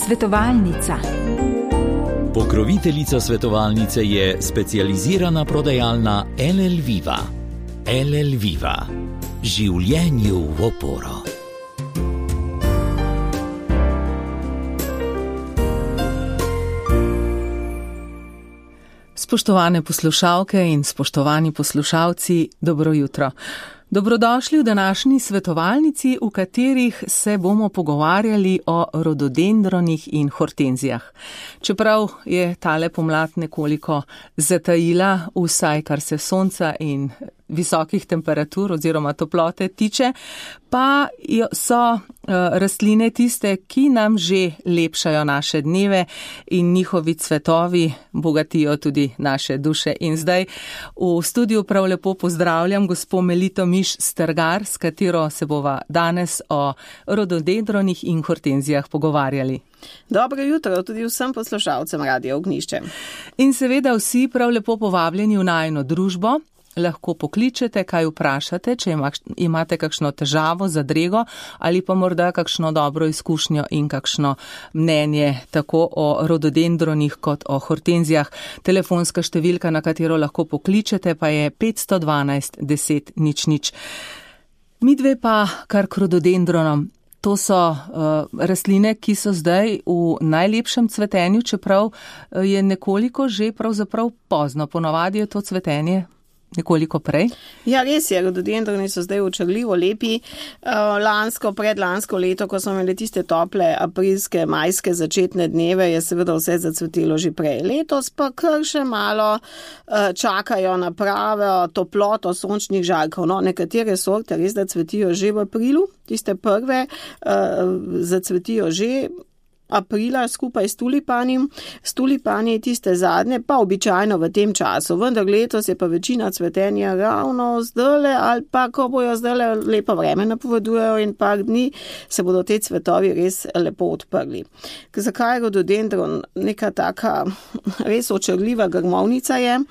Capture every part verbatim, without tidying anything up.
Svetovalnica. Pokroviteljica svetovalnice je specializirana prodajalna L L Viva. L L Viva. Življenju v oporo. Spoštovane poslušalke in spoštovani poslušalci, dobro jutro. Dobrodošli v današnji svetovalnici, v katerih se bomo pogovarjali o rododendronih in hortenzijah. Čeprav je tale pomlad nekoliko zatajila, vsaj kar se sonca in visokih temperatur oziroma toplote tiče, pa so uh, rastline tiste, ki nam že lepšajo naše dneve in njihovi cvetovi bogatijo tudi naše duše. In zdaj v studiu prav lepo pozdravljam gospo Melito Miš Strgar, s katero se bova danes o rododendronih in hortenzijah pogovarjali. Dobro jutro tudi vsem poslušalcem Radio Ognjišče. In seveda vsi prav lepo povabljeni v najino družbo. Lahko pokličete, kaj vprašate, če imate kakšno težavo, zadrego ali pa morda kakšno dobro izkušnjo in kakšno mnenje tako o rododendronih kot o hortenzijah. Telefonska številka, na katero lahko pokličete, pa je petsto dvanajst deset nič nič. Midve pa kar k rododendronom. To so uh, rastline, ki so zdaj v najlepšem cvetenju, čeprav je nekoliko že pravzaprav pozno. Ponavadi je to cvetenje nekoliko prej? Ja, res je, rododendroni so zdaj očarljivo lepi. Lansko, predlansko leto, ko smo imeli tiste tople aprilske, majske začetne dneve, je seveda vse zacvetilo že prej. Letos pa kar še malo čakajo na pravo toploto sončnih žarkov. No, nekatere sorte res da cvetijo že v aprilu, tiste prve zacvetijo že aprila skupaj s tulipani. S tulipani tiste zadnje pa običajno v tem času, vendar letos je pa večina cvetenja ravno zdajle ali pa ko bojo zdajle lepo vreme napovedujejo in par dni se bodo te cvetovi res lepo odprli. Zakaj je rododendron neka taka res očarljiva grmovnica je?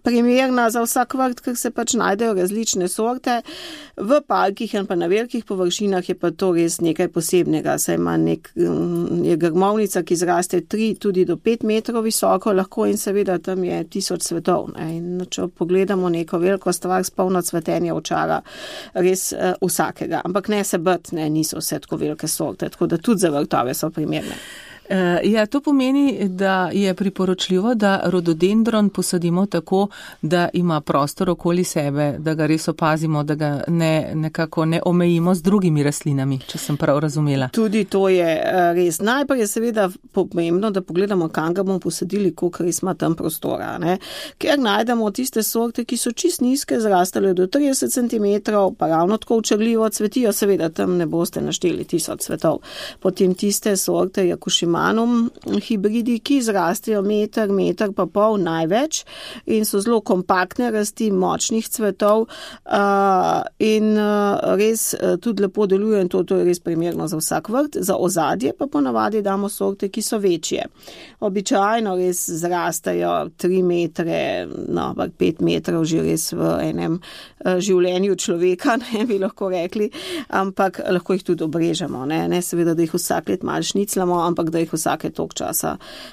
Primerna za vsak vrt, ker se pač najdejo različne sorte. V parkih in pa na velikih površinah je pa to res nekaj posebnega. Saj ima nek, je grmovnica, ki zraste tri tudi do pet metrov visoko lahko in seveda tam je tisoč cvetov. Ne. In če pogledamo neko veliko stvar s polno cvetenja očara res uh, vsakega. Ampak ne se brt, ne, niso vse tako velike sorte, tako da tudi za vrtove so primerne. Ja, to pomeni, da je priporočljivo, da rododendron posadimo tako, da ima prostor okoli sebe, da ga res opazimo, da ga ne, nekako ne omejimo z drugimi rastlinami, če sem prav razumela. Tudi to je res. Najprej je seveda pomembno, da pogledamo, kam ga bomo posadili, koliko res ima tam prostora. Ne? Ker najdemo tiste sorte, ki so čist nizke, zrastale do trideset centimetrov, pa ravno tako očarljivo cvetijo, seveda tam ne boste našteli tisoč cvetov. Potem tiste sorte Jakušima hibridi, ki zrastejo meter, meter pa pol največ in so zelo kompaktne rasti, močnih cvetov uh, in uh, res uh, tudi lepo delujejo in to, to je res primerno za vsak vrt. Za ozadje pa ponavadi damo sorte, ki so večje. Običajno res zrastajo tri metre, no, pet metrov že res v enem uh, življenju človeka, ne bi lahko rekli, ampak lahko jih tudi obrežemo. Ne, ne seveda, da jih vsak let malo šniclamo, ampak da jih vsake tok časa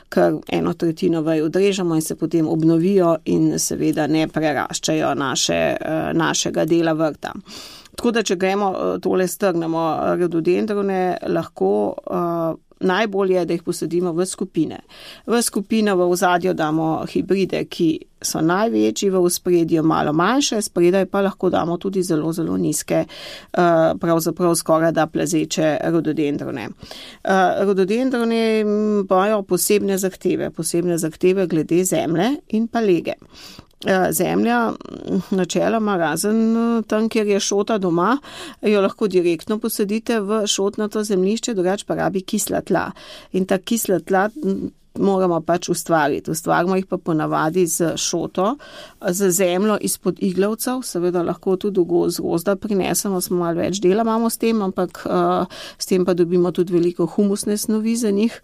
kar eno tretjino vaj odrežemo in se potem obnovijo in seveda ne preraščajo naše, našega dela vrta. Tako da, če gremo tole strnemo rododendrone, lahko uh, najbolje je, da jih posadimo v skupine. V skupino v ozadju damo hibride, ki so največji, v ospredju malo manjše, spredaj pa lahko damo tudi zelo, zelo nizke, pravzaprav skoraj da plezeče rododendrone. Rododendrone imajo posebne zahteve, posebne zahteve glede zemlje in pa lege. Zemlja, načeloma razen tam, kjer je šota doma, jo lahko direktno posadite v šotnato zemljišče, drugače pa rabi kisla tla. In ta kisla tla moramo pač ustvariti. Ustvarimo jih pa ponavadi z šoto, z zemljo izpod iglavcev, seveda lahko tudi z gozda prinesemo, smo malo več dela imamo s tem, ampak uh, s tem pa dobimo tudi veliko humusne snovi za njih,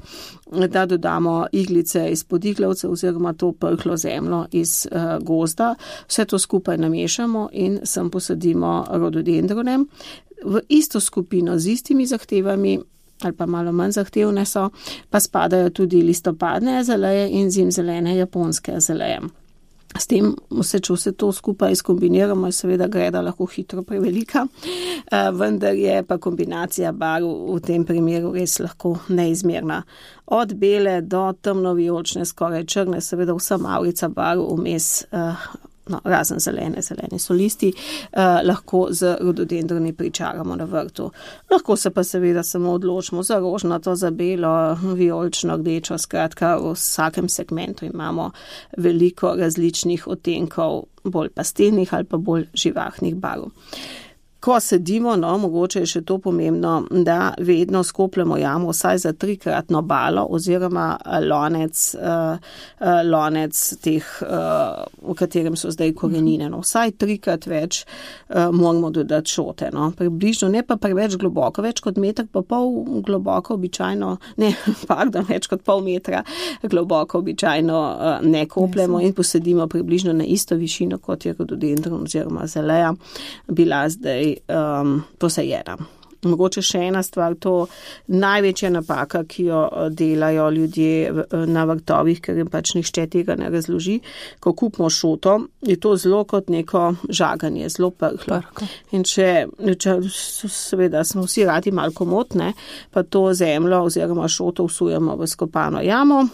da dodamo iglice izpod iglavcev oziroma to prhlo zemljo iz uh, gozda. Vse to skupaj namešamo in sem posadimo rododendrone v isto skupino z istimi zahtevami. ali pa malo manj zahtevne so, pa spadajo tudi listopadne azaleje in zimzelene japonske azaleje. S tem se, če vse to skupaj skombiniramo, je seveda greda lahko hitro prevelika, vendar je pa kombinacija barv v tem primeru res lahko neizmerna. Od bele do temno-vijolične, skoraj črne, seveda vsa mavrica barv vmes, no, razen zelene, zelene so listi, eh, lahko z rododendroni pričaramo na vrtu. Lahko se pa seveda samo odločimo za rožnato, za belo, vijolično, rdečo, skratka v vsakem segmentu imamo veliko različnih odtenkov, bolj pastelnih ali pa bolj živahnih barv. Ko sedimo, no, mogoče je še to pomembno, da vedno skopljamo jamo vsaj za trikratno balo oziroma lonec, uh, uh, lonec teh, uh, v katerem so zdaj korenine. No, vsaj trikrat več uh, moramo dodati šote. No. Približno, ne pa preveč globoko, več kot meter pa pol globoko običajno, ne, pardon, več kot pol metra globoko običajno uh, ne kopljemo in posedimo približno na isto višino, kot je rododendron oziroma azaleja bila zdaj Um, posejena. Mogoče še ena stvar, to največja napaka, ki jo delajo ljudje na vrtovih, ker jim pač nihče tega ne razloži, ko kupimo šoto, je to zelo kot neko žaganje, zelo prhlo. In če, če seveda smo vsi radi malo komotne, pa to zemljo oziroma šoto vsujemo v skopano jamo,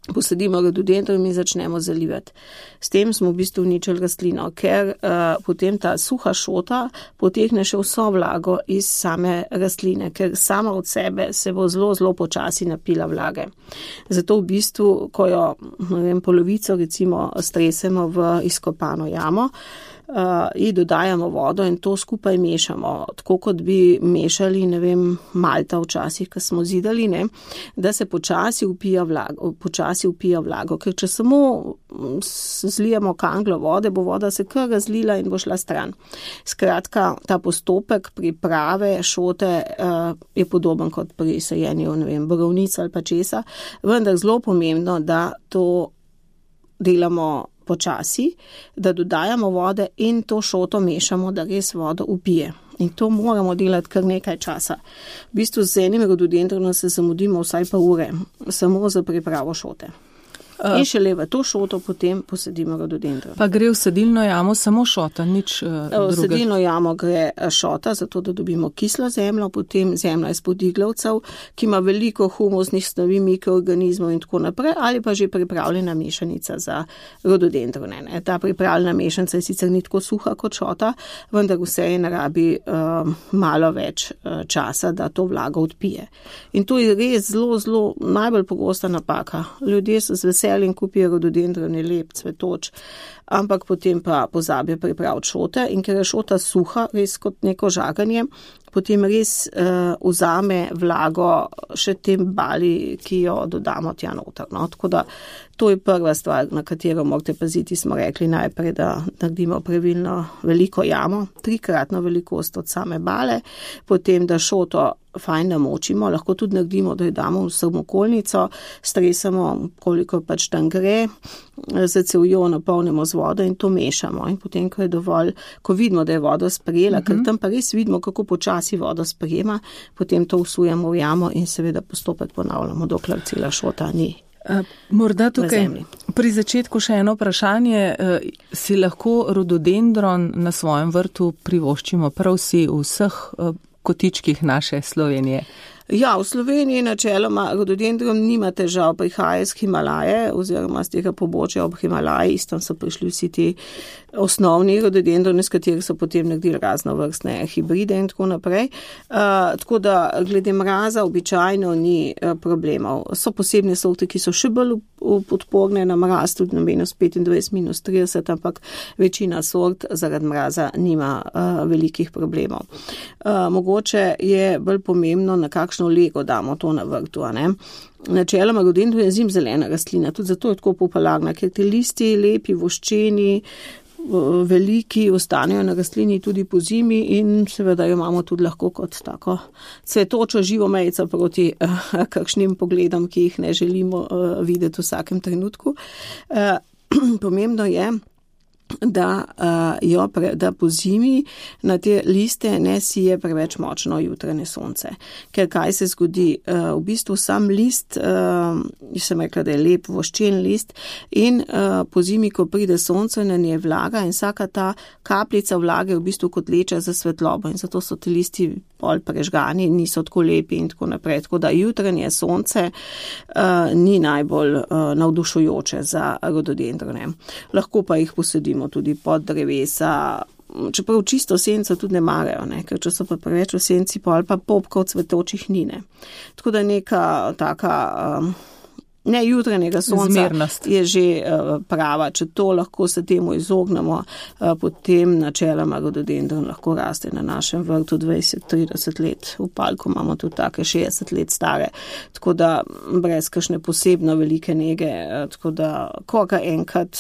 posadimo rododendron in začnemo zalivati. S tem smo v bistvu uničili rastlino, ker uh, potem ta suha šota potegne še vso vlago iz same rastline, ker sama od sebe se bo zelo, zelo počasi napila vlage. Zato v bistvu, ko jo, ne vem, polovico recimo stresemo v izkopano jamo, Uh, in dodajamo vodo in to skupaj mešamo, tako kot bi mešali, ne vem, malta včasih, ko smo zidali, ne, da se počasi upija vlago, počasi upija vlago, ker če samo zlijemo kanglo vode, bo voda se kar razlila in bo šla stran. Skratka, ta postopek priprave šote uh, je podoben kot pri sajenju, ne vem, borovnic ali pa česa, vendar zelo pomembno, da to delamo počasi, da dodajamo vode in to šoto mešamo, da res vodo upije. In to moramo delati kar nekaj časa. V bistvu z enim rododendronom se zamudimo vsaj pa ure, samo za pripravo šote. Uh, in šele v to šoto potem posedimo rododendron. Pa gre v sedilno jamo samo šota, nič uh, druge? V sedilno jamo gre šota, zato da dobimo kislo zemljo, potem zemlja iz podiglavcev, ki ima veliko humusnih snovi, mikroorganizmov in tako naprej, ali pa že pripravljena mešanica za rododendrone. Ne. Ta pripravljena mešanica je sicer ni tako suha kot šota, vendar vse je narabi uh, malo več uh, časa, da to vlago odpije. In to je res zelo, zelo najbolj pogosta napaka. Ljudje so z veseljem in kupijo rododendron, je lep, cvetoč, ampak potem pa pozabijo pripraviti šote in ker je šota suha, res kot neko žaganje, potem res uh, vzame vlago še tem bali, ki jo dodamo tja noter. No? Tako da to je prva stvar, na katero morate paziti, smo rekli najprej, da naredimo pravilno veliko jamo, trikratno velikost od same bale, potem da šoto fajn namočimo, lahko tudi naredimo, da jo damo v samokolnico, stresamo, koliko pač tam gre, za cevjo napolnimo z vodo in to mešamo. In potem, ko je dovolj, ko vidimo, da je voda sprejela, uh-huh. ker tam pa res vidimo, kako počasi voda sprejema, potem to vsujemo v jamo in seveda postopek ponavljamo, dokler cela šota ni. Morda tukaj pri začetku še eno vprašanje. Si lahko rododendron na svojem vrtu privoščimo prav vsi v vseh kotičkih naše Slovenije? Ja, v Sloveniji načeloma rododendron nima težav, prihaja iz Himalaje oziroma z tega pobočja ob Himalaji, tam so prišli vsi ti osnovni rododendroni, s katerih so potem naredili raznovrstne hibride in tako naprej. Uh, tako da glede mraza običajno ni uh, problemov. So posebne sorte, ki so še bolj podporne na mraz, tudi na minus petindvajset, minus trideset, ampak večina sort zaradi mraza nima uh, velikih problemov. Uh, mogoče je bolj pomembno, na kakšno lego damo to na vrtu, a ne? Načeloma rododendron je zimzelena rastlina, tudi zato je tako popularna, ker ti listi lepi, voščeni, veliki, ostanejo na rastlini tudi po zimi in seveda jo imamo tudi lahko kot tako cvetočo živo mejico proti uh, kakšnim pogledom, ki jih ne želimo uh, videti v vsakem trenutku. Uh, pomembno je, da, uh, jo pre, da po zimi na te liste ne sije preveč močno jutranje sonce. Ker kaj se zgodi? Uh, v bistvu sam list, uh, sem rekla, da je lep voščen list in uh, po zimi, ko pride sonce, na nje vlaga in vsaka ta kapljica vlage je v bistvu kot leča za svetlobo in zato so ti listi pol prežgani, niso tako lepi in tako naprej. Tako da jutranje sonce uh, ni najbolj uh, navdušujoče za rododendrone. Lahko pa jih posadimo tudi pod drevesa, čeprav čisto senco tudi ne marajo, ne? Ker če so pa preveč v senci, pol pa popkov cvetočih ni, ne. Tako da neka taka um, ne jutranjega sonca zmernost je že uh, prava. Če to lahko se temu izognemo, uh, potem načeloma rododendron lahko raste na našem vrtu dvajset do trideset let. V Palku imamo tudi take šestdeset let stare, tako da brez kakšne posebno velike nege, uh, tako da ko ga enkrat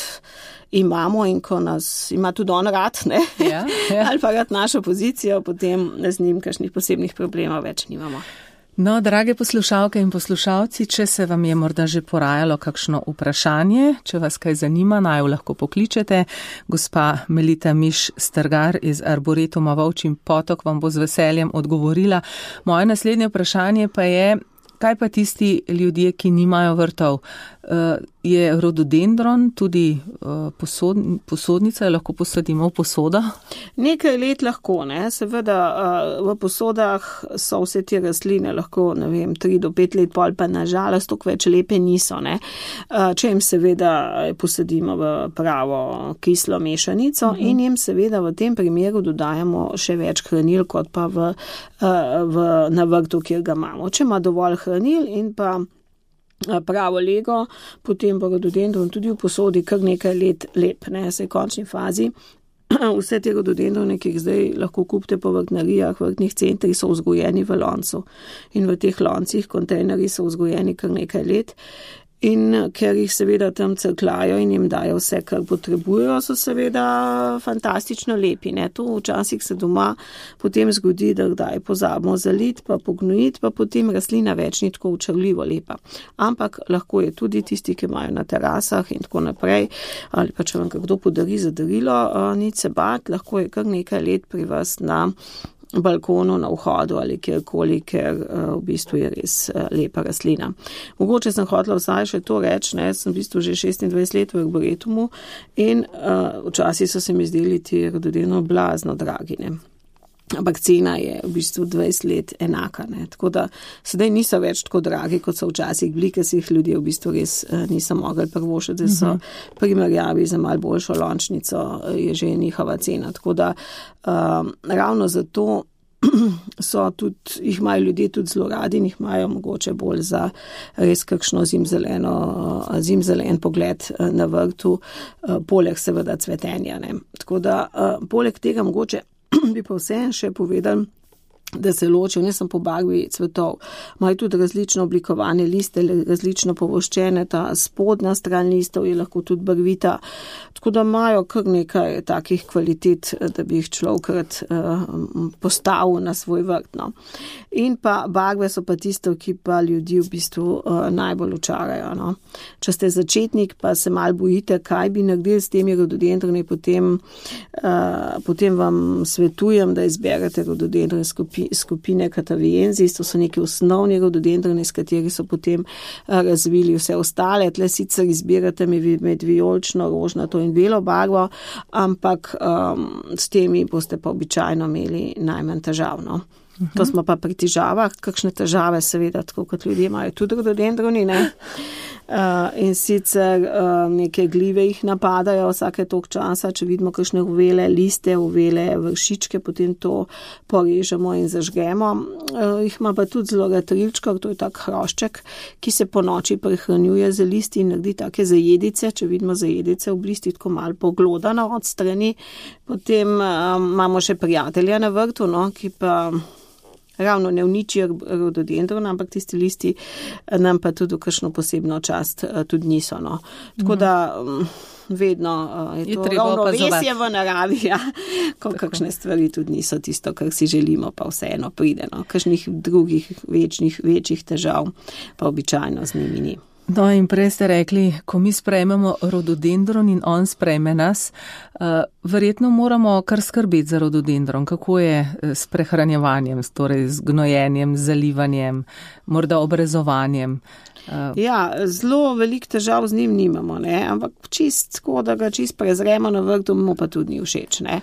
imamo in ko nas ima tudi on rad, ne? Ja, ja. Ali pa rad našo pozicijo, potem z njim kakšnih posebnih problemov več nimamo. No, drage poslušalke in poslušalci, če se vam je morda že porajalo kakšno vprašanje, če vas kaj zanima, naj jo lahko pokličete. Gospa Melita Miš-Strgar iz Arboretuma Volčji Potok vam bo z veseljem odgovorila. Moje naslednje vprašanje pa je, kaj pa tisti ljudje, ki nimajo vrtov? Je rododendron tudi posod, posodnica, lahko posadimo v posodo? Nekaj let lahko, ne. Seveda v posodah so vse te rastline lahko, ne vem, tri do pet let pol, pa nažalost toliko več lepe niso, ne. Če jim seveda posadimo v pravo kislo mešanico uh-huh. in jim seveda v tem primeru dodajamo še več hranil, kot pa v, v, na vrtu, kjer ga imamo. Če ima dovolj hranil in pa pravo lego, potem bo rododendron tudi v posodi kar nekaj let lep, ne, se v končni fazi. Vse te rododendrone, ki jih zdaj lahko kupite po vrtnarijah, vrtnih centrih, so vzgojeni v loncu. In v teh loncih, kontejnerji so vzgojeni kar nekaj let. In ker jih seveda tam crklajo in jim dajo vse, kar potrebujejo, so seveda fantastično lepi, ne. To včasih se doma potem zgodi, da kdaj pozabimo zaliti, pa pognojiti, pa potem rastlina več ni tako učarljivo lepa. Ampak lahko je tudi tisti, ki imajo na terasah in tako naprej, ali pa če vam kdo podari za darilo, nič se bat, lahko je kar nekaj let pri vas na balkonu, na vhodu ali kjerkoli, ker uh, v bistvu je res uh, lepa rastlina. Mogoče sem hotela vsaj še to reči, ne, sem v bistvu že šestindvajset let v Arboretumu in uh, včasih so se mi zdeli ti rododendroni blazno dragi, ne. Ampak cena je v bistvu dvajset let enaka, ne. Tako da sedaj niso več tako dragi, kot so včasih bili, ker si jih ljudje v bistvu res uh, niso mogli prvošiti, da so uh-huh. primerjavi za malo boljšo lončnico je že njihova cena. Tako da uh, ravno zato so tudi, jih imajo ljudje tudi zelo radi in jih imajo mogoče bolj za res kakšno zimzeleno, zimzelen pogled na vrtu, uh, poleg seveda cvetenja, ne. Tako da uh, poleg tega mogoče bi pa vse še povedal, da se ločijo ne samo po barvi cvetov, imajo tudi različno oblikovane liste, različno povoščene, ta spodnja stran listov je lahko tudi barvita, tako da imajo kar nekaj takih kvalitet, da bi jih človekrat uh, postavil na svoj vrt, no. In pa barve so pa tisto, ki pa ljudi v bistvu uh, najbolj očarajo, no. Če ste začetnik, pa se malo bojite, kaj bi naredili s temi rododendroni, potem, uh, potem vam svetujem, da izberete rododendron skupine Cataviensis, to so neki osnovni rododendroni, s kateri so potem razvili vse ostale. Tle sicer izbirate med vijolično, rožnato in belo barvo, ampak um, s temi boste pa običajno imeli najmanj težav, no. Uh-huh. To smo pa pri težavah, kakšne težave seveda, tako kot ljudje imajo tudi rododendroni, ne. Uh, in sicer uh, neke glive jih napadajo vsake toliko časa, če vidimo kakšne uvele liste, uvele vršičke, potem to porežemo in zažgemo. Uh, jih ima pa tudi zelo trilčka, to je tak hrošček, ki se po noči prehranjuje z listi in naredi take zajedice, če vidimo zajedice v listi, tako malo poglodano od strani. Potem uh, imamo še prijatelja na vrtu, no, ki pa ravno ne uničijo rododendrona, ampak tisti listi nam pa tudi v kakšno posebno čast tudi niso, no. Tako da vedno je, je to ravnovesje v naravi, ja, ko tako. Kakšne stvari tudi niso tisto, kar si želimo, pa vseeno pride, no. Kakšnih drugih večnih, večjih težav pa običajno z njimi ni. No in prej ste rekli, ko mi sprejmemo rododendron in on sprejme nas, uh, verjetno moramo kar skrbeti za rododendron. Kako je s prehranjevanjem, torej z gnojenjem, z zalivanjem, morda obrezovanjem? Uh. Ja, zelo velik težav z njim nimamo, ne? Ampak čist tako, da ga čist prezremo na vrtu, mu pa tudi ni všeč. Ne?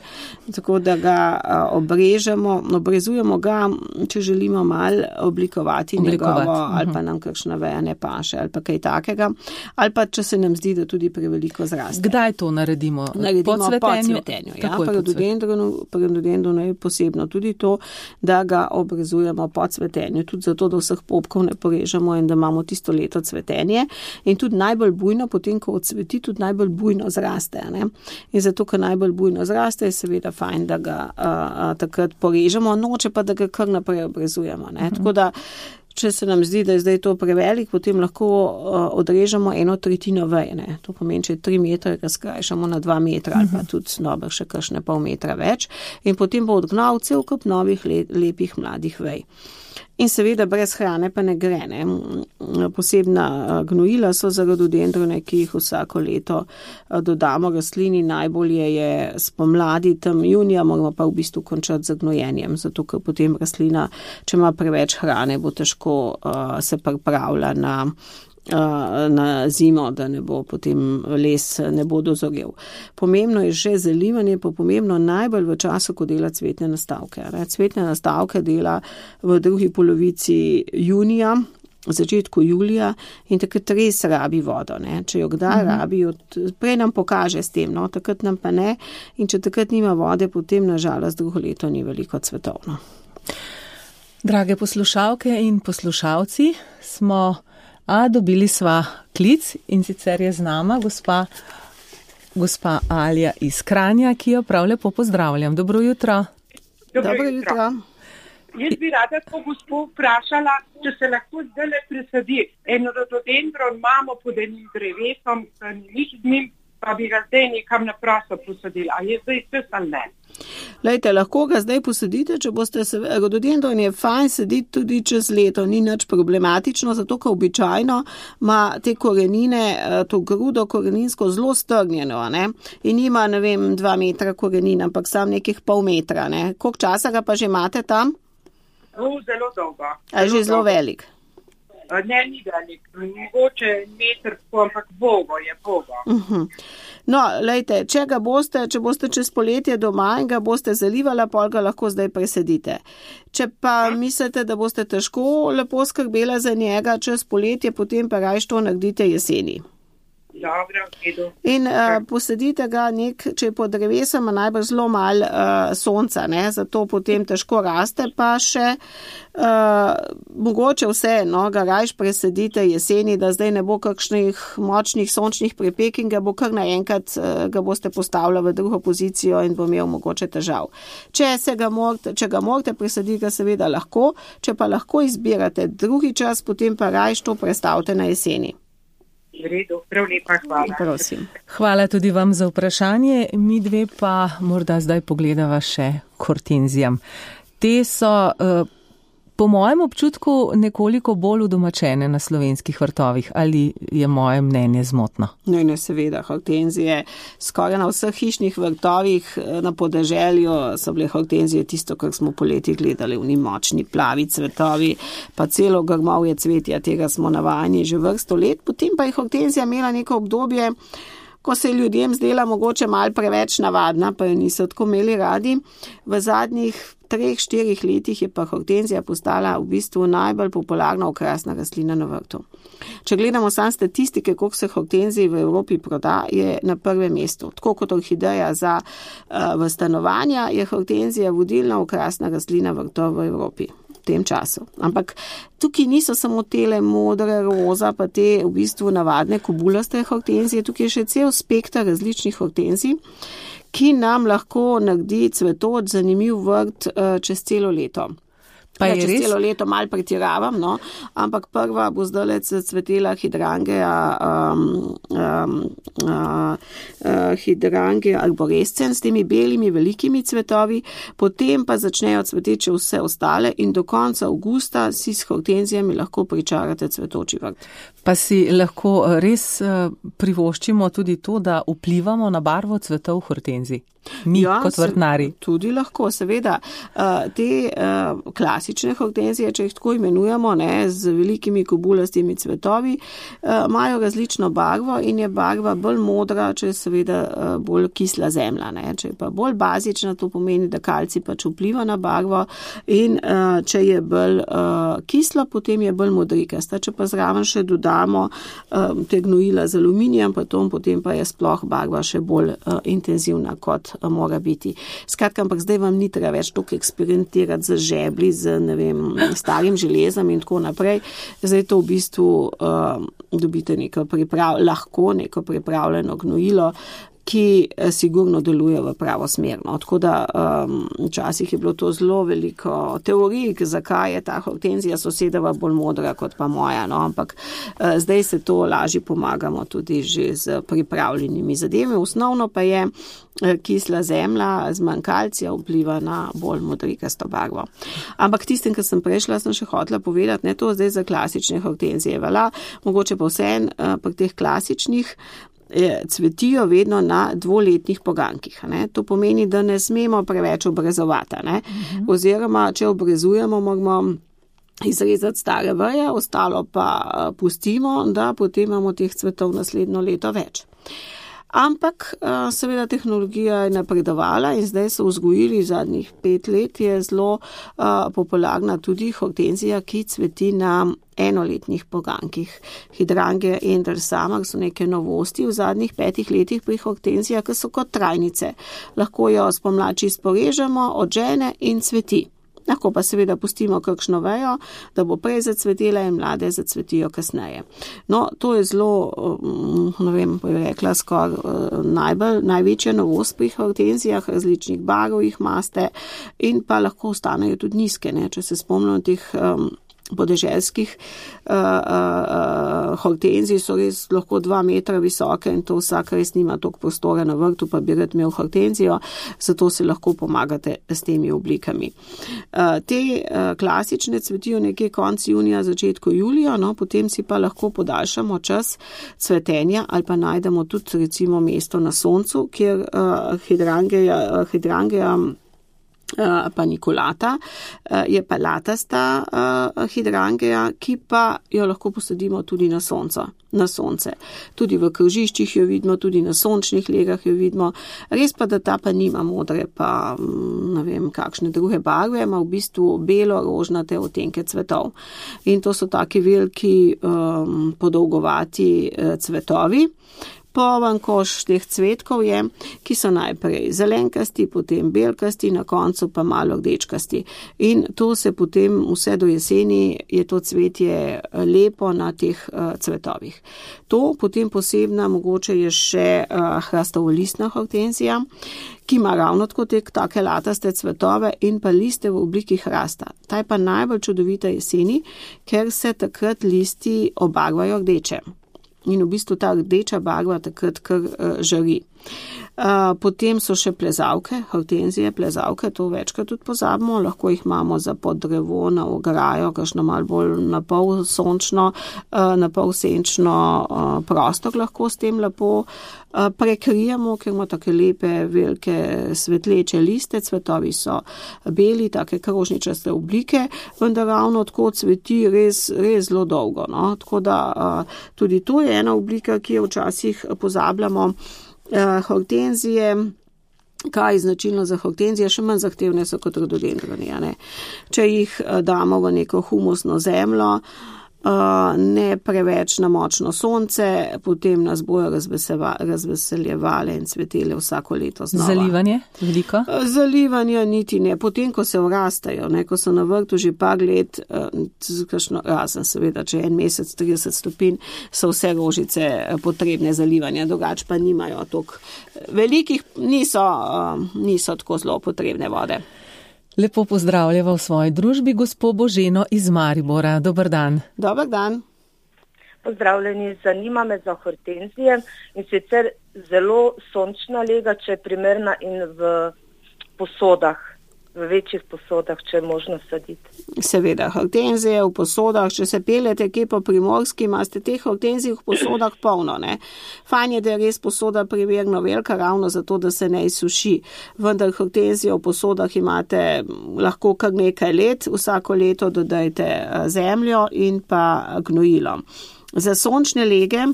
Tako da ga uh, obrežemo, obrezujemo ga, če želimo mal oblikovati, oblikovati. njegovo, uh-huh. ali pa nam kakšna veja ne paše, ali pa kaj takega, ali pa če se nam zdi, da tudi preveliko zraste. Kdaj to naredimo? Naredimo po cvetenju. Po cvetenju ja, pri rododendronu, pri rododendronu je posebno tudi to, da ga obrezujemo po cvetenju, tudi zato, da vseh popkov ne porežemo in da imamo tisto leto cvetenje in tudi najbolj bujno, potem, ko odsveti, tudi najbolj bujno zraste. Ne? In zato, ker najbolj bujno zraste, je seveda fajn, da ga a, a, takrat porežemo, noče pa, da ga kar naprej obrezujemo. Ne? Mhm. Tako da, če se nam zdi, da je zdaj to prevelik, potem lahko uh, odrežemo eno tretjino veje. Ne? To pomeni, če tri metre ga skrajšamo na dva metra ali pa tudi dobro še kakšne pol metra več in potem bo odgnal cel kup novih le, lepih mladih vej. In seveda brez hrane pa ne gre. Ne? Posebna gnojila so za rododendrone, ki jih vsako leto dodamo rastlini. Najbolje je spomladi, tam junija, moramo pa v bistvu končati z gnojenjem, zato ker potem rastlina, če ima preveč hrane, bo težko uh, se pripravlja na na zimo, da ne bo potem les ne bo dozorel. Pomembno je že zalivanje, pa pomembno najbolj v času, ko dela cvetne nastavke. Cvetne nastavke dela v drugi polovici junija, v začetku julija in takrat res rabi vodo. Ne? Če jo kdaj mhm. rabi, od, prej nam pokaže s tem, no? Takrat nam pa ne in če takrat nima vode, potem nažalost drugo leto ni veliko cvetovno. Drage poslušalke in poslušalci, smo A dobili sva klic in sicer je z nama gospa, gospa Alja iz Kranja, ki jo prav lepo pozdravljam. Dobro jutro. Dobro, Dobro jutro. jutro. Jaz bi rada to gospo vprašala, če se lahko zdaj le presadi. En rododendron imamo pod enim drevesom, nič z njim, pa bi ga zdaj nekam na prosto posadili. A je zdaj vse ali ne? Lejte, lahko ga zdaj posadite, če boste se, rododendron je fajn sediti tudi čez leto, ni nič problematično, zato ker običajno ima te korenine, to grudo koreninsko zelo strnjeno, ne, in nima, ne vem, dva metra korenin, ampak sam nekih pol metra, ne. Koliko časa ga pa že imate tam? O, zelo dolgo. A je že zelo velik? Ne, ni velik, mogoče meter, ampak bogo je bogo. Uh-huh. No, lejte, če ga boste, če boste čez poletje doma in ga boste zalivala, pol ga lahko zdaj presedite. Če pa mislite, da boste težko lepo skrbela za njega čez poletje, potem pa rajš to naredite jeseni. Dobro, in uh, posadite ga nek, če je pod drevesom, najbolj zelo malo uh, sonca, ne, zato potem težko raste, pa še uh, mogoče vse, no, ga rajš presadite jeseni, da zdaj ne bo kakšnih močnih sončnih prepek in ga bo kar naenkrat, uh, ga boste postavili v drugo pozicijo in bo imel mogoče težav. Če, se ga morate, če ga morate presaditi, ga seveda lahko, če pa lahko izbirate drugi čas, potem pa rajš to prestavite na jeseni. V redu, prav lepa, hvala. Prosim. Hvala tudi vam za vprašanje. Mi dve pa morda zdaj pogledava še hortenzijam. Te so uh, po mojem občutku nekoliko bolj udomačene na slovenskih vrtovih. Ali je moje mnenje zmotno? Ne, ne, seveda. Hortenzije skoraj na vseh hišnih vrtovih na podeželju so bile hortenzije tisto, kar smo poleti gledali, v močni plavi cvetovi, pa celo grmovje cvetja, tega smo navajeni že vrsto let. Potem pa je hortenzija imela neko obdobje, ko se je ljudem zdela mogoče malo preveč navadna, pa jo niso tako imeli radi. V zadnjih treh, štirih letih je pa hortenzija postala v bistvu najbolj popularna okrasna rastlina na vrtu. Če gledamo sam statistike, koliko se hortenzij v Evropi proda, je na prvem mestu. Tako kot orhideja za uh, v stanovanja, je hortenzija vodilna okrasna rastlina vrtov v Evropi v tem času. Ampak tukaj niso samo tele modre, roza, pa te v bistvu navadne kobulaste hortenzije, tukaj je še cel spektar različnih hortenzij, ki nam lahko naredi cvetoč zanimiv vrt uh, čez celo leto. Pa je ja, čez res? Celo leto malo pretiravam, no, ampak prva bo zdaj cvetela hidrangea, um, um, uh, uh, hidrangea arborescens s temi belimi velikimi cvetovi, potem pa začnejo cveteči vse ostale in do konca avgusta si s hortenzijami lahko pričarate cvetoči vrt. Pa si lahko res privoščimo tudi to, da vplivamo na barvo cvetov hortenzij. Mi ja, kot vrtnari. Tudi lahko, seveda. Te klasične hortenzije, če jih tako imenujemo, ne, z velikimi kobulastimi cvetovi, imajo različno barvo in je barva bolj modra, če je seveda bolj kisla zemlja. Ne. Če je pa bolj bazična, to pomeni, da kalcij pač vpliva na barvo in če je bolj kisla, potem je bolj modrikasta. Če pa zraven še dodamo te gnojila z aluminijem, potem pa je sploh barva še bolj intenzivna kot mora biti. Skratka, ampak zdaj vam ni treba več toliko eksperimentirati z žebli, z, ne vem, starim železom in tako naprej. Zdaj to v bistvu uh, dobite neko priprav, lahko neko pripravljeno gnojilo, ki sigurno deluje v pravo smer. No. Tako da um, včasih je bilo to zelo veliko teorij, zakaj je ta hortenzija sosedova bolj modra kot pa moja. No. Ampak uh, zdaj se to lažje pomagamo tudi že z pripravljenimi zadevami. Osnovno pa je kisla zemlja z manj kalcija vpliva na bolj modrikasto barvo. Ampak tistem, kar sem prešla, sem še hotela povedati, ne to zdaj za klasične hortenzije. Vala, mogoče pa vseen uh, pri teh klasičnih cvetijo vedno na dvoletnih pogankih. Ne? To pomeni, da ne smemo preveč obrezovati. Ne? Uh-huh. Oziroma, če obrezujemo, moramo izrezati stare veje, ostalo pa pustimo, da potem imamo teh cvetov naslednjo leto več. Ampak seveda tehnologija je napredovala in zdaj so vzgojili zadnjih pet let, je zelo uh, popularna tudi hortenzija, ki cveti na enoletnih pogankih. Hydrangea Endelsamar so neke novosti v zadnjih petih letih pri hortenzijah, ki so kot trajnice. Lahko jo spomladi sporežemo, odžene in cveti. Lahko pa seveda pustimo kakšno vejo, da bo prej zacvetela in mlade zacvetijo kasneje. No, to je zelo, ne vem, pa je rekla, skoraj najbolj, največja novost pri hortenzijah, različnih barv jih maste in pa lahko ostanejo tudi nizke, ne, če se spomnimo teh um, podeželskih uh, uh, hortenzij so res lahko dva metra visoke in to vsak res nima toliko prostora na vrtu, pa bi rad imel hortenzijo, zato se lahko pomagate s temi oblikami. Uh, te uh, klasične cvetijo nekje konec junija, začetku julija, no, potem si pa lahko podaljšamo čas cvetenja ali pa najdemo tudi recimo mesto na soncu, kjer uh, Hydrangea, uh, Hydrangea Uh, paniculata, uh, je pa latasta uh, Hydrangea, ki pa jo lahko posadimo tudi na sonco, na sonce. Tudi v krožiščih jo vidimo, tudi na sončnih legah jo vidimo. Res pa, da ta pa nima modre, pa ne vem, kakšne druge barve, ima v bistvu belo-rožnate odtenke cvetov. In to so taki veliki um, podolgovati uh, cvetovi. Poln koš teh cvetkov je, ki so najprej zelenkasti, potem belkasti, na koncu pa malo rdečkasti. In to se potem vse do jeseni je to cvetje lepo na teh uh, cvetovih. To potem posebna mogoče je še uh, hrastovolistna hortenzija, ki ima ravno tako te take lataste cvetove in pa liste v obliki hrasta. Ta je pa najbolj čudovita jeseni, ker se takrat listi obarvajo rdeče. In v bistvu ta rdeča barva takrat kar uh, žari. Uh, potem so še plezavke, hortenzije, plezavke, to večkrat tudi pozabimo, lahko jih imamo za pod drevo, na ograjo, kakšno malo bolj na pol sončno, uh, na pol senčno uh, prostor lahko s tem lepo uh, prekrijemo, ker ima take lepe, velike svetleče liste, cvetovi so beli, take krožničaste oblike, vendar ravno tako cveti res, res zelo dolgo. No? Tako da uh, tudi to je ena oblika, ki jo včasih pozabljamo. Uh, hortenzije, kaj je značilno za hortenzije, še manj zahtevne so kot rododendroni. Če jih uh, damo v neko humusno zemljo, uh, ne preveč na močno sonce, potem nas bojo razveseljevale in cvetele vsako leto znova. Zalivanje? Veliko? Uh, zalivanje niti ne. Potem, ko se vrastajo, ne, ko so na vrtu že par let, uh, kakšno, razen seveda, če je en mesec, trideset stopinj, so vse rožice potrebne zalivanja, drugače pa nimajo toliko velikih, niso, uh, niso tako zelo potrebne vode. Lepo pozdravljava v svoji družbi gospo Boženo iz Maribora. Dobar dan. Dobar dan. Pozdravljeni, zanima me za hortenzije in sicer zelo sončna lega, če je primerna in v posodah. v večjih posodah, če je možno saditi. Seveda, hortenzije v posodah, če se peljete kje po Primorski, imate teh hortenzij v posodah polno, ne. Fajn je, da je res posoda primerno velika, ravno zato, da se ne izsuši. Vendar hortenzije v posodah imate lahko kar nekaj let, vsako leto dodajte zemljo in pa gnojilo. Za sončne lege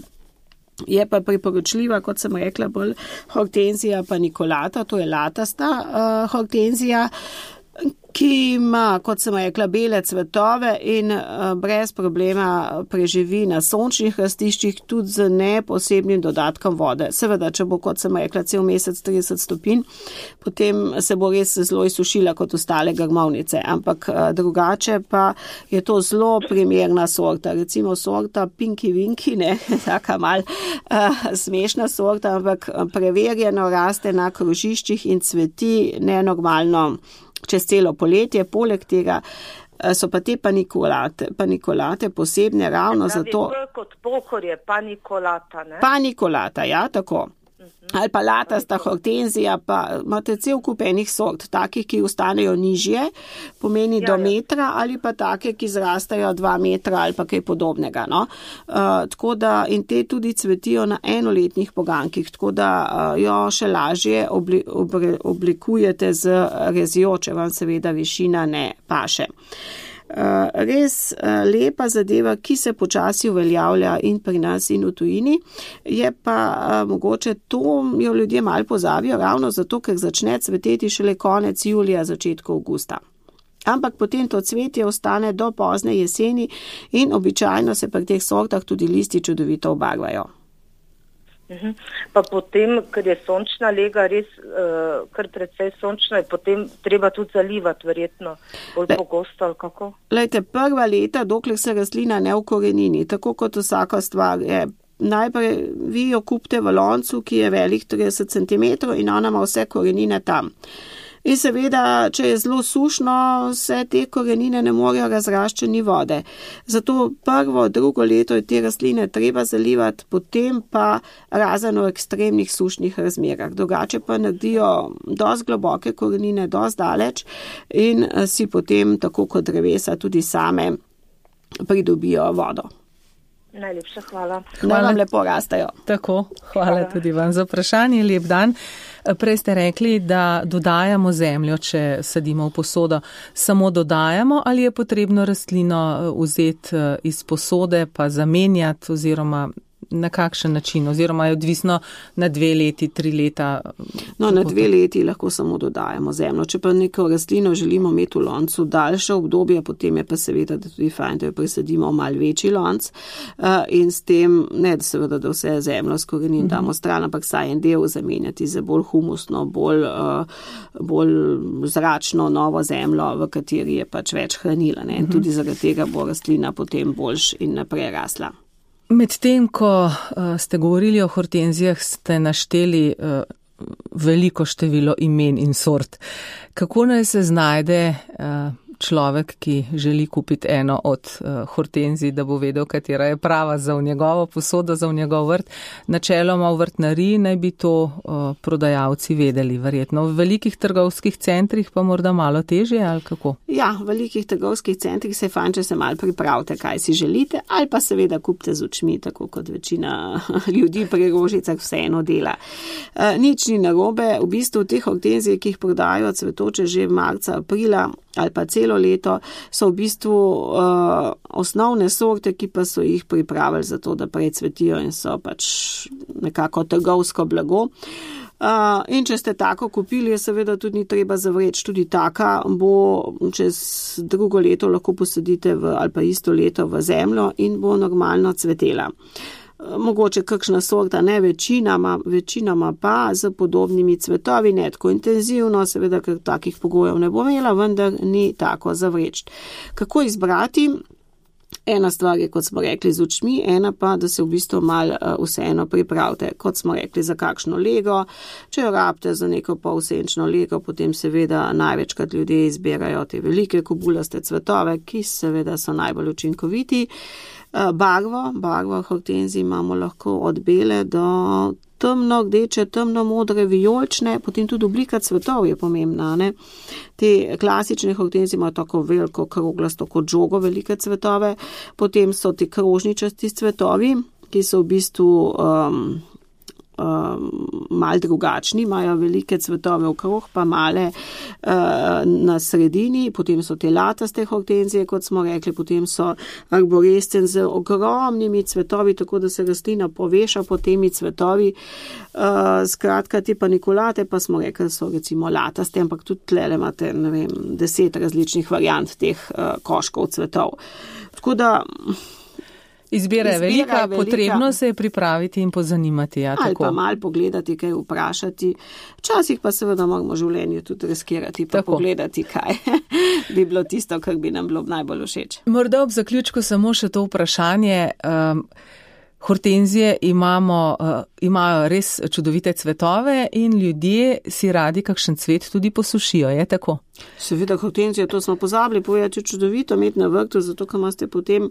je pa priporočljiva, kot sem rekla, bolj hortenzija panicolata, to je latasta uh, hortenzija, ki ima, kot sem rekla, bele cvetove in uh, brez problema preživi na sončnih rastiščih tudi z neposebnim dodatkom vode. Seveda, če bo, kot sem rekla, cel mesec trideset stopinj, potem se bo res zelo izsušila kot ostale grmovnice, ampak uh, drugače pa je to zelo primerna sorta. Recimo sorta Pinky Winky, ne, taka mal uh, smešna sorta, ampak preverjeno raste na krožiščih in cveti nenormalno čez celo poletje. Poleg tega so pa te panicolate, panicolate posebne ravno zato. Kot pokor je panicolata, ne? Panicolata, ja, tako. Ali pa latasta hortenzija, pa imate cel kup enih sort, takih, ki ostanejo nižje, pomeni ja, do metra, ali pa take, ki zrastajo dva metra ali pa kaj podobnega. No? Uh, tako da in te tudi cvetijo na enoletnih pogankih, tako da uh, jo še lažje obli, obli, oblikujete z rezjo, če vam seveda višina ne paše. Uh, res uh, lepa zadeva, ki se počasi uveljavlja in pri nas in v tujini, je pa uh, mogoče to jo ljudje malo pozavijo, ravno zato, ker začne cveteti šele konec julija, začetku avgusta. Ampak potem to cvetje ostane do pozne jeseni in običajno se pri teh sortah tudi listi čudovito obarvajo. Uhum. Pa potem, ker je sončna lega res uh, kar precej sončna, je potem treba tudi zalivati verjetno bolj Le, pogosto ali kako? Lejte, prva leta, dokler se rastlina ne ukorenini, tako kot vsaka stvar je, najprej vi jo kupite v loncu, ki je velik trideset centimetrov in ona ima vse korenine tam. In seveda, če je zelo sušno, se te korenine ne morejo razraščati ni vode. Zato prvo, drugo leto je te rastline treba zalivati, potem pa razen v ekstremnih sušnih razmerah. Drugače pa naredijo dosti globoke korenine, dosti daleč in si potem, tako kot drevesa, tudi same pridobijo vodo. Najlepša hvala. Naj vam lepo rastajo. Tako, hvala, hvala tudi vam za vprašanje. Lep dan. Prej ste rekli, da dodajamo zemljo, če sadimo v posodo. Samo dodajamo ali je potrebno rastlino vzeti iz posode pa zamenjati oziroma na kakšen način oziroma je odvisno na dve leti, tri leta? No, na dve leti lahko samo dodajamo zemljo. Če pa neko rastlino želimo imeti v loncu daljše obdobje, potem je pa seveda da tudi fajn, da jo presadimo v mal večji lonc in s tem, ne da seveda, da vse zemljo s korenin damo stran, ampak saj en del zamenjati za bolj humusno, bolj, bolj zračno novo zemljo, v kateri je pač več hranila. Ne? In tudi zaradi tega bo rastlina potem boljš in naprej rasla. Medtem, ko uh, ste govorili o hortenzijah, ste našteli uh, veliko število imen in sort. Kako naj se znajde uh, človek, ki želi kupiti eno od uh, hortenzij, da bo vedel, katera je prava za v njegovo posodo, za v njegov vrt? Načeloma v vrtnariji naj bi to uh, prodajalci vedeli, verjetno. V velikih trgovskih centrih pa morda malo težje, ali kako? Ja, v velikih trgovskih centrih se je fajn, če se malo pripravite, kaj si želite, ali pa seveda kupite z očmi, tako kot večina ljudi pri rožicah vseeno dela. Uh, nič ni narobe, v bistvu teh hortenzij, ki jih prodajo cvetoče že marca, aprila ali pa celo leto, so v bistvu uh, osnovne sorte, ki pa so jih pripravili za to, da precvetijo in so pač nekako trgovsko blago. Uh, in če ste tako kupili, je seveda tudi ni treba zavreči. Tudi taka bo čez drugo leto lahko posadite v, ali pa isto leto v zemljo in bo normalno cvetela. Mogoče kakšna sorta, ne večinama, večinama pa z podobnimi cvetovi, ne tako intenzivno, seveda, ker takih pogojev ne bo imela, vendar ni tako zavreči. Kako izbrati? Ena stvar je, kot smo rekli, z očmi, ena pa, da se v bistvu mal vseeno pripravite, kot smo rekli, za kakšno lego. Če jo rabite za neko polsenčno lego, potem seveda največkrat ljudje izbirajo te velike kobulaste cvetove, ki seveda so najbolj učinkoviti. Barvo, barvo hortenzij imamo lahko od bele do temno gdeče, temno modre, vijolične, potem tudi oblika cvetov je pomembna. Ne? Te klasične hortenzije imajo tako veliko, kroglasto kot žogo, velike cvetove, potem so ti krožničasti cvetovi, ki so v bistvu um, um, mal drugačni, imajo velike cvetove okrog, pa male uh, na sredini, potem so te lataste hortenzije, kot smo rekli, potem so arborescen z ogromnimi cvetovi, tako da se rastlina poveša po temi cvetovi. Uh, skratka, te panikulate pa smo rekli, so recimo lataste, ampak tudi tlele imate, ne vem, deset različnih variant teh uh, koškov cvetov. Tako da Izbira je velika, velika, potrebno se je pripraviti in pozanimati. Ja, ali tako. Pa malo pogledati, kaj vprašati. Včasih pa seveda moramo v življenju tudi riskirati, pa tako. Pogledati, kaj bi bilo tisto, kar bi nam bilo najbolj všeč. Morda ob zaključku samo še to vprašanje. Um, hortenzije imamo, uh, imajo res čudovite cvetove in ljudje si radi kakšen cvet tudi posušijo, je tako? Seveda hortenzije, to smo pozabili povedati, čudovito imeti na vrtu, zato ker imate potem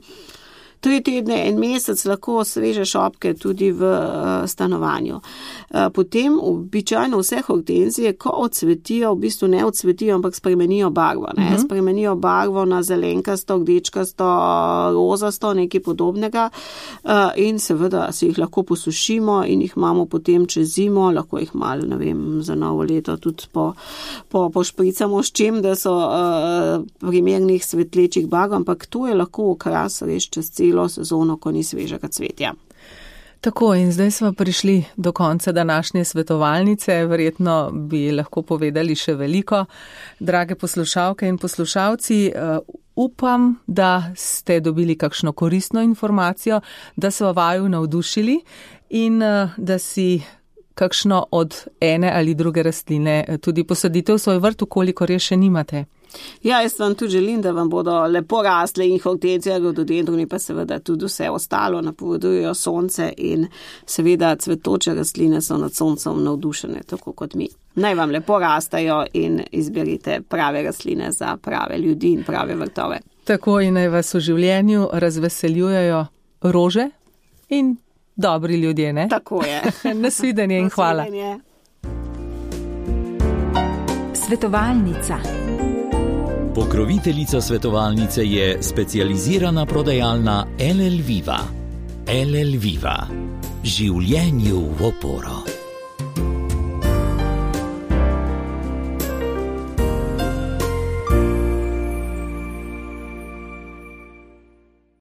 tri tedne, en mesec lahko sveže šopke tudi v uh, stanovanju. Uh, potem običajno vse hortenzije, ko odsvetijo, v bistvu ne odsvetijo, ampak spremenijo barvo. Ne? Uh-huh. Spremenijo barvo na zelenkasto, rdečkasto, rozasto, nekaj podobnega uh, in seveda si jih lahko posušimo in jih imamo potem čez zimo, lahko jih malo, ne vem, za novo leto tudi po, po, pošpricamo s čim, da so uh, primernih svetlečih barv, ampak to je lahko okras res čez celo sezono, ko ni svežega cvetja. Tako, in zdaj smo prišli do konca današnje svetovalnice, verjetno bi lahko povedali še veliko. Drage poslušalke in poslušalci, uh, upam, da ste dobili kakšno koristno informacijo, da so vaju navdušili in uh, da si kakšno od ene ali druge rastline tudi posadite v svoj vrt, kolikor je še nimate. Ja, jaz vam tudi želim, da vam bodo lepo rasle in hortenzije, rododendroni pa seveda tudi vse ostalo napovedujejo sonce in seveda cvetoče rastline so nad soncem navdušene, tako kot mi. Naj vam lepo rastajo in izberite prave rastline za prave ljudi in prave vrtove. Tako in naj vas v življenju razveseljujejo rože in dobri ljudje, ne? Tako je. Nasvidenje in hvala. Nasvidenje. Svetovalnica. Pokroviteljica svetovalnice je specializirana prodajalna L L Viva. L L Viva. Življenju v oporo.